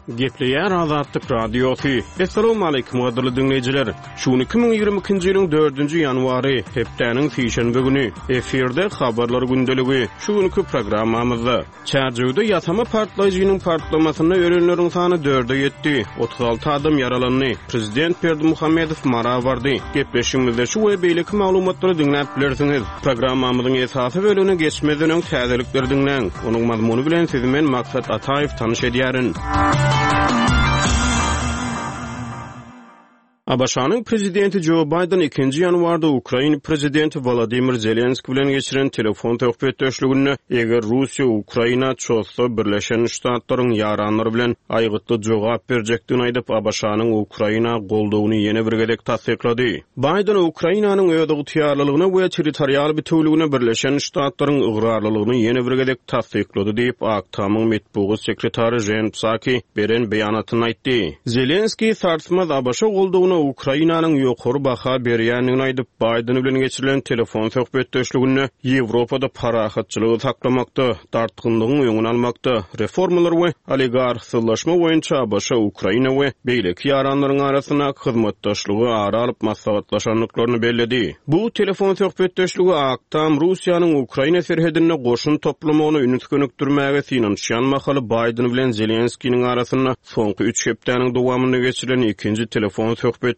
Gepleýär Azatlyk Radiosy. Assalamualaikum gadyrly diňleýjiler. Şu gün 2022-nji ýylyň 4-nji ýanwary, hepdäniň sişenbe güni. Efirde habarlar gündeligi. Şu günki programmamyzda Çärjewde ýasama partlaýjynyň partlamasynda ölenleriň sany dörde ýetdi, 36 adam ýaralandy. Prezident Berdimuhamedow Mara bardy. Gepleşigimizde şu we beýleki maglumatlary diňläp bilersiňiz. Programmamyzyň esasy bölegine geçmezden öň täzelikleri diňläň. Onuň mazmuny bilen sizi men Maksat Ataýew tanyş edýärin. ABŞ-nyň Prezidenti Jo Baýden ikinji ýanwarda Ukraina Prezidenti Wolodymyr Zelenskiý bilen geçiren telefon söhbetdeşliginde, eger Russiýa Ukraina çozsa, Birleşen Ştatlaryň ýaranlary bilen aýgytly jogap berjekdigini aýdyp, ABŞ-nyň Ukraina goldawyny ýene bir gezek tassyklady. Baýden Ukrainanyň özygtyýarlylygyna we territorial bitewüligine Birleşen Ştatlaryň ygrarlylygyny ýene bir gezek tassyklady diýip, Ak Tamyň metbugat sekretary Jen Psaki beren beýanatynda aýtdy. Zelenskiý sarsmaz ABŞ goldawyna Ukrainanyň ýokary baha berýändigini aýdyp, Baýden bilen geçirilen telefon söhbetdeşliginde Ýewropada parahatçylygy saklamakda, dartgynlygyň öňüni almakda, reformalar we oligarhsyzlaşma boýunça ABŞ, Ukraina we beýleki ýaranlaryň arasyndaky hyzmatdaşlygy ara alyp maslahatlaşandyklaryny belledi. Bu telefon söhbetdeşligi Ak Tam Russiýanyň Ukraina serhedinde goşun toplamagyna üns gönükdirmäge synanyşýan mahaly Baýden bilen Zelenskiniň arasynda soňky üç hepdäniň dowamynda geçirilen ikinji telefon söhbetdeşligi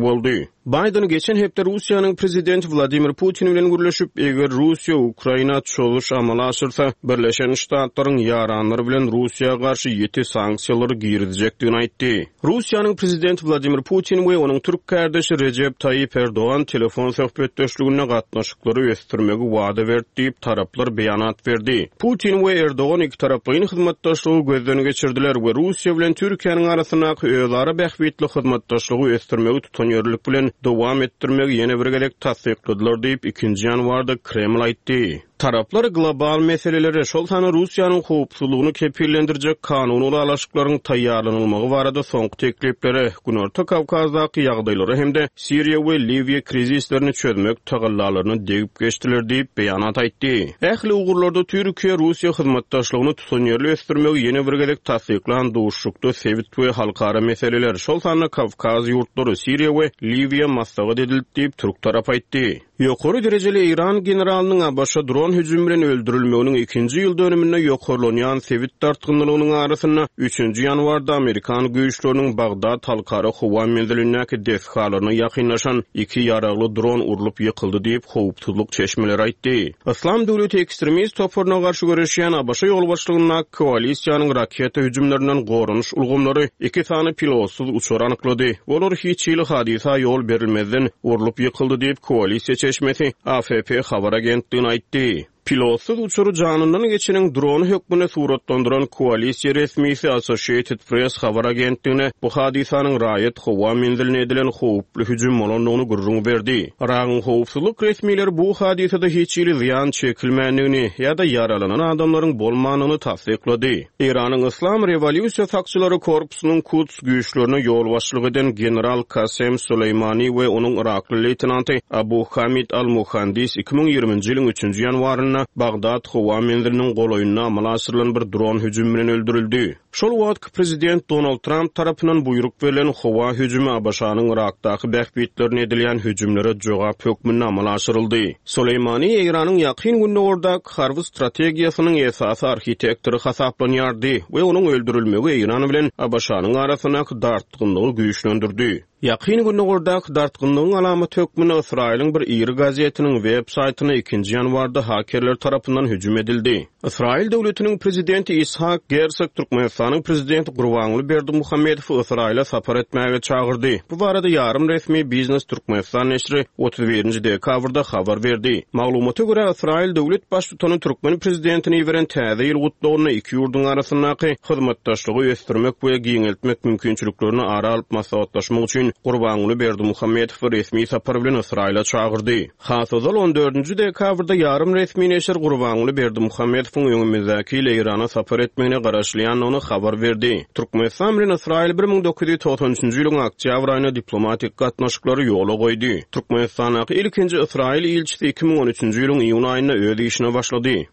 boldy. Baýden geçen hepde Russiýanyň prezidenti Wladimir Putin bilen gürleşip, eger Russiýa Ukraina çozuş amala aşyrsa, Birleşen Ştatlaryň ýaranlary bilen Russiýa garşy ýiti sanksiýalary girizjekdigini aýtdy. Russiýanyň prezidenti Wladimir Putin we onuň türk kärdeşi Rejep Taýyp Erdogan telefon söhbetdeşliginde gatnaşyklary ösdürmegi wada berdi diýip, taraplar beýanat berdi. Putin we Erdogan ikitaraplaýyn hyzmatdaşlygy gözden geçirdiler we Russiýa bilen Türkiýäniň arasyndaky özara bähbitli hyzmatdaşlygy ösdürmegi tutanýerlilik bilen dowam etdirmegi ýene bir gezek tassykladylar diýip, ikinji ýanwarda Kreml aýtdy. Taraplar global meseleleri, şol sanda Russiýanyň howpsuzlygyny kepillendirjek kanuny ylalaşyklaryň taýýarlanylmagy barada soňky tekliplere, Günorta Kawkazdaky ýagdaýlara hem-de Siriýa we Liwiýa krizislerini çözmek tagallalaryna degip geçdiler diýip, beýanat aýtdy. Ähli ugurlarda Türkiýe-Russiýa hyzmatdaşlygyny tutanýerli ösdürmegi ýene bir gezek tassyklan duşuşykda sebit we halkara meseleler, şol sanda Kawkaz ýurtlary, Siriýa we Liwiýa maslahat edildi diýip, türk tarapy aýtdy. Ýokary derejeli eýran generalynyň ABŞ dron hüjümi bilen öldürilmeginiň ikinji ýyl dönüminde ýokarlanýan sebit dartgynlylygynyň arasynda, üçünji ýanwarda amerikan güýçleriniň Bagdat halkara howa menzilindäki desgalaryna ýakynlaşan iki ýaragly dron urlup ýykyldy diýip, howpsuzlyk çeşmeleri aýtdy. Yslam döwleti ekstremist toparyna garşy göreşýän ABŞ ýolbaşçylygyndaky koalisiýanyň raketa hüjümlerinden goranyş ulgamlary iki sany pilotsyz uçary anyklady. Olar hiç hili hadysa ýol berilmezden urlup ýykyldy diýip, koalisiýa çeşmesi AFP habar agentligine aýtdy. Pilotsyz uçary janyndan geçeniň drony hökmünde suratlandyran koalisiýa resmisi Associated Press habar agentligine bu hadysanyň raýat howa menziline edilen howply hüjüm bolandygyny gürrüň berdi. Yragyň howpsuzlyk resmileri bu hadysada hiç hili zyýan çekilmändigini ýa-da ýaralanan adamlaryň bolmandygyny tassyklady. Eýranyň Yslam rewolýusiýa sakçylary korpusynyň Kuds güýçlerine ýolbaşçylyk eden general Kasem Soleýmani we onuň yrakly leýtenanty Abu Hamid al-Muhandis 2020-nji ýylyň üçünji ýanwarynda Bagdat howa menziliniň golaýynda amala aşyrylan bir dron hüjümi bilen öldürildi. Şol wagtky prezident Donald Tramp tarapyndan buýruk berlen howa hüjümi ABŞ-nyň Yrakdaky bähbitlerine edilýän hüjümlere jogap hökmünde amala aşyryldy. Soleýmani Eýranyň Ýakyn Gündogardaky harby strategiýasynyň esasy arhitektory hasaplanýardy we onuň öldürilmegi Eýran bilen ABŞ-nyň arasyndaky dartgynlygy güýçlendirdi. Ýakyn Gündogardaky dartgynlygyň alamaty hökmünde Ysraýylyň bir iri gazetiniň web saýtyna ikinji ýanwarda hakerler tarapyndan hüjüm edildi. Ysraýyl döwletiniň prezidenti Ishak Gersog Türkmenistanyň prezidenti Gurbanguly Berdimuhamedowy Ysraýyla sapar etmäge çagyrdy. Bu barada ýarym resmi Biznes Türkmenistan neşiri 31-nji dekabrda habar berdi. Maglumata görä, Ysraýyl döwlet Baştutany türkmen prezidentine iberen Täze ýyl gutlagynda iki ýurduň arasyndaky hyzmatdaşlygy ösdürmek we giňeltmek mümkinçiliklerini ara alyp maslahatlaşmak üçin Gurbanguly Berdimuhamedowy resmi sapar bilen Ysraýyla çagyrdy. Has ozal, on dördünji dekabrda ýarym resmi neşir Gurbanguly Berdimuhamedowyň öňümizdäki ýyl Eýrana sapar etmegine garaşylýandygyny habar berdi. Türkmenistan bilen Ysraýyl 1993 nji ýylyň oktýabr aýynda diplomatik gatnaşyklary ýola goýdy. Türkmenistandaky ilkinji ysraýyl ilçisi 2013-nji ýylyň iýun aýynda öz işine başlady.